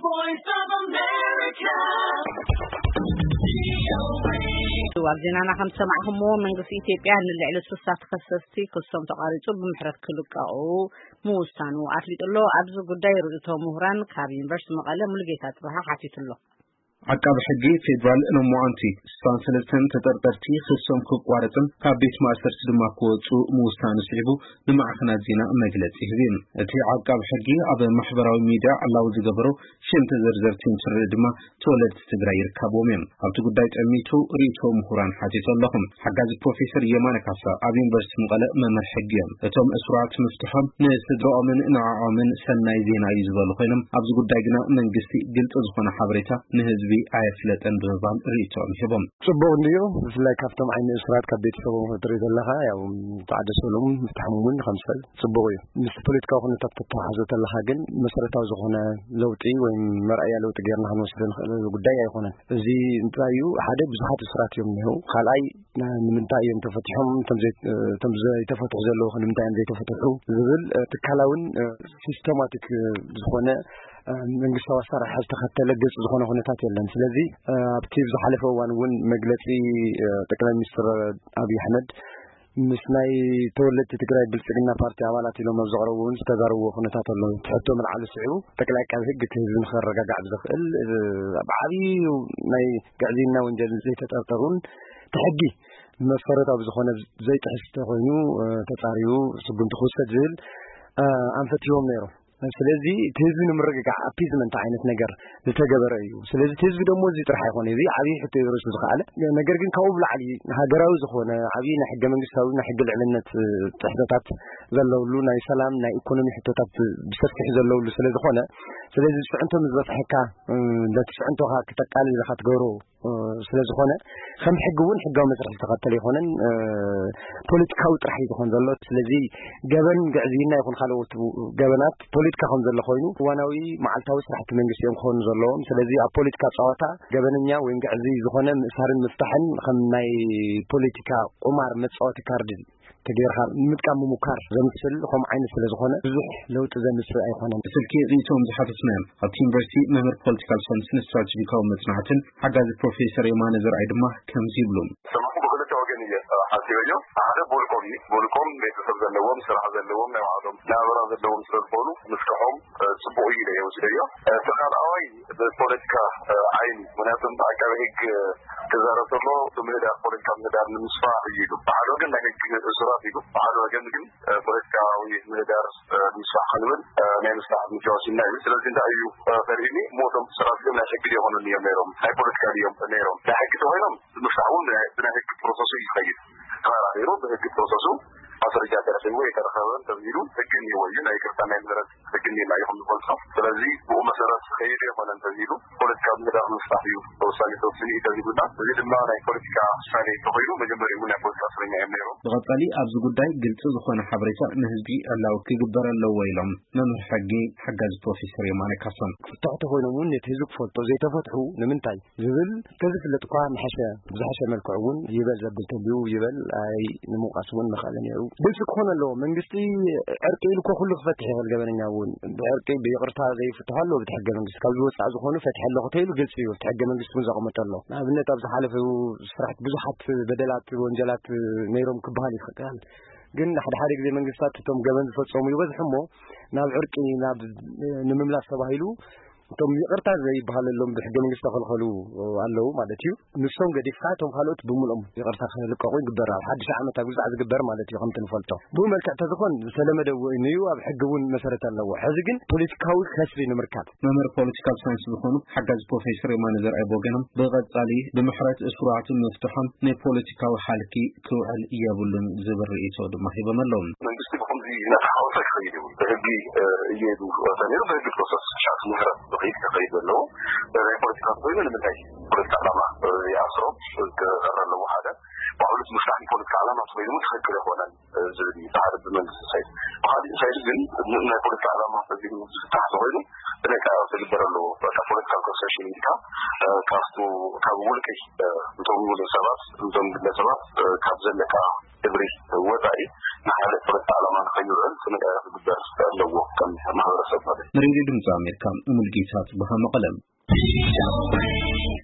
Voice of America. ኣብ ዜናና ከም ዝሰማዕኹምዎ፣ መንግስቲ ኢትዮጵያ ንልዕሊ ሱሳ ተኸሰስቲ ክሶም ተቋሪጹ ብምሕረት ክልቀቑ ምውሳኑ ኣፍሊጡ ኣሎ። ኣብዚ ጉዳይ ርእይቶ ምሁራን ካብ ዩኒቨርሲቲ መቐለ ሙሉጌታ ጽባሃ ሓቲቱ ኣሎ። ዓቃቢ ሕጊ ፌዴራል ሎማዓንቲ ስሳን ሰለስተን ተጠርጠርቲ ክሶም ክቋረጽን ካብ ቤት ማእሰርቲ ድማ ክወጹ ምውሳኑ ስዒቡ ንማዕኸናት ዜና መግለጺ ሂቡ። እቲ ዓቃቢ ሕጊ ኣብ ማሕበራዊ ሚድያ ዕላዊ ዝገበሮ ሽም ተዘርዘርቲ እንትርኢ ድማ ተወለድቲ ትግራይ ይርከብዎም እዮም። ኣብቲ ጉዳይ ጠሚቱ ርእይቶ ምሁራን ሓቲቱ ኣለኹም። ሓጋዚ ፕሮፌሰር የማነ ካሳ ኣብ ዩኒቨርሲቲ መቐለ መምህር ሕጊ እዮም። እቶም እሱራት ምፍትሖም ንስድራኦምን ንዕኦምን ሰናይ ዜና እዩ ዝበሉ ኮይኖም፣ ኣብዚ ጉዳይ ግና መንግስቲ ግልፂ ዝኾነ ሓበሬታ ንህዝቢ ኣየፍለጠን ብምባል ርእይቶኦም ሂቦም። ጽቡቕ እንድዩ። ብፍላይ ካብቶም ዓይኒ እሱራት ካብ ቤተሰቦም ክትርኢ ዘለኻ፣ ያው ተዓደሰሎም ምፍታሖም እውን ከም ሰብ ጽቡቕ እዩ። ምስ ፖለቲካዊ ኩነታት ተተሓሕዞ ተለኻ ግን መሰረታዊ ዝኾነ ለውጢ ወይ መርኣያ ለውጢ ጌርና ክንወስዶ ንኽእል ጉዳይ ኣይኮነን። እዚ እንታይ እዩ? ሓደ፣ ብዙሓት እሱራት እዮም እኒሄው። ካልኣይ፣ ን-፣ ንምንታይ እዮም ተፈቲሖም? እቶም ዘይ-፣ እቶም ዘይተፈትሑ ዘለዉ ከ ንምንታይ እዮም ዘይተፈትሑ? ዝብል፣ እ፣ ትካላውን፣ እ፣ ሲስተማቲክ፣ እ፣ ዝኾነ፣ እ፣ መንግስታዊ ኣሰራርሓ ዝተኸተለ ግልፂ ዝኾነ ኩነታት የለን። ስለዚ፣ እ፣ ኣብቲ ዝሓለፈ እዋን እውን መግለፂ፣ እ፣ ጠቅላይ ሚኒስትር ኣብይ ኣሕመድ ምስ ናይ ተወለድቲ ትግራይ ብልፅግና ፓርቲ ኣባላት ኢሎም ኣብ ዘቕረቡ እውን ዝተዛረብዎ ኩነታት ኣሎ። እቲ ሕቶ ምልዓሉ ስዒቡ ጠቅላይ ዓቃቢ ሕግ እቲ ህዝቢ ንኸረጋጋዕ ብዘኽእል፣ እ፣ ኣብ ዓብዩ ናይ ግዕዝይና ወንጀል ዘይተጠርጠሩን እቲ ሕጊ መሰረታዊ ዝኾነ ዘይጥሕስ ተኾይኑ፣ እ፣ ተጻርዩ ስጉምቲ ክውሰድ ዝብል፣ እ፣ ኣንፈት ሂቦም ነይሮም። ስለዚ እቲ ህዝቢ ንምርግጋዕ ኣፒዝመንት ዓይነት ነገር ዝተገበረ እዩ። ስለዚ እቲ ህዝቢ ደሞ እዚ ጥራሕ ኣይኮነ፣ እዚ ዓብዪ ሕቶ እዩ ርእሱ ዝኸኣለ። ነገር ግን ካብኡ ብላዕሊ ሃገራዊ ዝኾነ ዓብዪ ናይ ሕገ መንግስታዊ ናይ ሕጊ ልዕልነት፣ እ፣ ጥሕሰታት ዘለውሉ፣ ናይ ሰላም ናይ ኢኮኖሚ ሕቶታት ብሰፊሑ ዘለውሉ ስለ ዝኾነ፣ ስለዚ ዝፅዕንቶ ምስ በፅሐካ፣ እ፣ ነቲ ፅዕንቶኻ ክተቃልል ኢኻ ትገብሮ እ፣ ስለ ዝኾነ ከም ሕጊ እውን ሕጋዊ መስርሕ ዝተኸተለ ኣይኮነን፣ እ፣ ፖለቲካዊ ጥራሕ እዩ ዝኾን ዘሎ። ስለዚ ገበን ግዕዝይና ይኹን ካልኦት ገበናት ፖለቲካ ከም ዘሎ ኮይኑ እዋናዊ መዓልታዊ ስራሕቲ መንግስቲ እዮም ክኾኑ ዘለዎም። ስለዚ ኣብ ፖለቲካ ጸዋታ ገበነኛ ወይም ግዕዝይ ዝኾነ ምእሳርን ምፍታሕን ከም ናይ ፖለቲካ ቁማር መጻወቲ ካርድ ተጌርካ ንምጥቃም ምሙካር ዘምስል ከምኡ ዓይነት ስለ ዝኾነ ብዙሕ ለውጢ ዘምጽእ ኣይኮነን። ብስልኪ ርእይቶኦም ዝሓተትናዮም ኣብቲ ዩኒቨርሲቲ መምህር ፖለቲካል ሳይንስን ስትራቴጂካዊ መጽናዕትን ሓጋዚ ፕሮፌሰር የማነ ዘርኣይ ድማ ከምዚ ይብሉ። ሰማዕኩ ብክልተ ወገን እየ ሓሲበዮ። ሓደ ቡልኮም እዩ። ቡልኮም ቤተሰብ ዘለዎም፣ ስራሕ ዘለዎም፣ ናይ ባዕሎም ናብራ ዘለዎም ስለ ዝኾኑ ምስክሖም፣ እ፣ ጽቡቕ እዩ ኢለ እየ ወሲደዮ። እ፣ እቲ ካልኣዋይ ብፖለቲካ፣ እ፣ ዓይኒ፣ ምክንያቱ ዓቃቢ ሕግ ክዛረብ ከሎ እቲ ምህዳር፣ ፖለቲካ ምህዳር ንምስፋሕ እዩ ኢሉ። ብሓደ ወገን ናይ ሕግ እሱራት ኢሉ፣ ብሓደ ወገን ግን፣ እ፣ ፖለቲካዊ ምህዳር፣ እ፣ ንምስፋሕ ክንብል፣ እ፣ ናይ ምስፋሕ እርምጃ ወሲድና እዩ። ስለዚ እንታይ እዩ፣ እ፣ ከርእዩኒ እሞ እቶም እሱራት ግን ናይ ሕጊ ድዮም ኣይኮኑን እዮም ነይሮም፣ ናይ ፖለቲካ ድዮም ነይሮም። ናይ ሕጊ ተኮይኖም ንምፍታሕ እውን ብናይ፣ ብናይ ሕጊ ፕሮሰሱ እዩ ዝኸይድ። ተመራሚሩ ብሕጊ ፕሮሰሱ ማስረጃ ተረኺቡ የተረኸበ እንተዚሉ ሕጊ እኒሄዎ እዩ። ናይ ይቅርታ ናይ ምህረት ሕጊ እኒሄና እዩ ከም ዝፈልጦ። ስለዚ ብኡ መሰረት ከይዱ ኣይኮነን ተዚሉ ፖለቲካ ምህዳር ምፍታሕ እዩ ተወሳኒ ተወስኒ እዩ ተዚሉና። እዚ ድማ ናይ ፖለቲካ ውሳኔ እንተኮይኑ መጀመሪኡ ናይ ፖለቲካ እስረኛ እዮም ነይሮም። ብቐጻሊ ኣብዚ ጉዳይ ግልጺ ዝኾነ ሓበሬታ ንህዝቢ ዕላዊ ክግበር ኣለዎ ኢሎም መምህር ሕጊ ሓጋዚ ፕሮፌሰር የማነ ካሳን። ክፍትሑ ተኮይኖም እውን ነቲ ህዝቢ ክፈልጦ ዘይተፈትሑ ንምንታይ? ዝብል ተዝፍለጥ እኳ ምሐሸ፣ ብዝሐሸ መልክዑ እውን ይበል ዘብል ተልዩ ይበል ኣይ ንምውቃስ እውን ምኽኣለ ነይሩ። ግልፂ ክኾን ኣለዎ። መንግስቲ ዕርቂ ኢሉ እኮ ኩሉ ክፈትሕ ይኽእል። ገበነኛ እውን ብዕርቂ ብይቕርታ ዘይፍትሖ ኣለዎ። ብቲ ሕገ መንግስቲ ካብ ዝወፃእ ዝኾኑ ፈትሐ ኣለኹ ተይሉ ግልፂ እዩ። ብቲ ሕገ መንግስቲ እውን ዘቐመጠ ኣሎ። ንኣብነት ኣብ ዝሓለፈ ስራሕቲ ብዙሓት በደላት ወንጀላት ነይሮም ክበሃል ይኽእል። ግን ሓደ ሓደ ግዜ መንግስታት እቶም ገበን ዝፈፀሙ ይበዝሑ እሞ ናብ ዕርቂ ናብ ንምምላስ ተባሂሉ እቶም ይቕርታ ዘይበሃለሎም ብሕገ መንግስቲ ዝተኸልኸሉ ኣለዉ ማለት እዩ። ንሶም ገዲፍካ እቶም ካልኦት ብምልኦም ይቕርታ ክልቀቑ ይግበር። ኣብ ሓድሽ ዓመት ኣብ ግዛዕ ዝግበር ማለት እዩ። ከምቲ ንፈልጦ ብኡ መልክዕ ተዝኾን ዝተለመደ እውን እዩ። ኣብ ሕጊ እውን መሰረት ኣለዎ። ሕዚ ግን ፖለቲካዊ ከስቢ ንምርካብ። መምህር ፖለቲካል ሳይንስ ዝኾኑ ሓጋዚ ፕሮፌሰር የማነ ዘርኣይ ብወገኖም ብቐጻሊ ብምሕረት እሱራት ምፍትሖም ንፖለቲካዊ ሃልኪ ክውዕል የብሉን ዝብል ርእይቶ ድማ ሂቦም ኣለዉ። መንግስቲ ብኸምዚ እናተሓወሰ ክኸይድ የብሉ። ብሕጊ፣ እ፣ እየዱ ተነይሩ ብሕጊ ፕሮሰስ ሻዕ ምህረት ብኸይድ ክኸይድ ዘለዎ። ናይ ፖለቲካ ኮይኑ ንምንታይ ፖለቲካ ዓላማ፣ እ፣ ይኣስሮ ክቐረ ኣለዎ ሓደ። ባዕሉ እቲ ምፍታሕ ንፖለቲካ ዓላማ ተኮይኑ እውን ትኽክል ኣይኮነን፣ እ፣ ዝብል እዩ። እቲ ሓደ ብመንግስቲ ሳይድ። ብኻሊእ ሳይድ ግን ን-፣ ናይ ፖለቲካ ዓላማ ተዚሩ ዝፍታሕ ተኮይኑ ጥንቃቄ ክግበር ኣለዎ። በቃ ፖለቲካል ሶሽን ኢልካ ካብቱ ካብ ውልቂ እቶም ውሉ ሰባት እቶም ግለሰባት ካብ ዘለካ ግብሪ ወፃኢ ንሓደ ፍርቂ ዓላማ ንኸይውዕል ጥንቃቄ ክግበር ኣለዎ ከም ማሕበረሰብ ማለት እዩ። ንሬድዮ ድምፂ ኣሜሪካ ሙልጌታ ጽቡሃ መቐለም።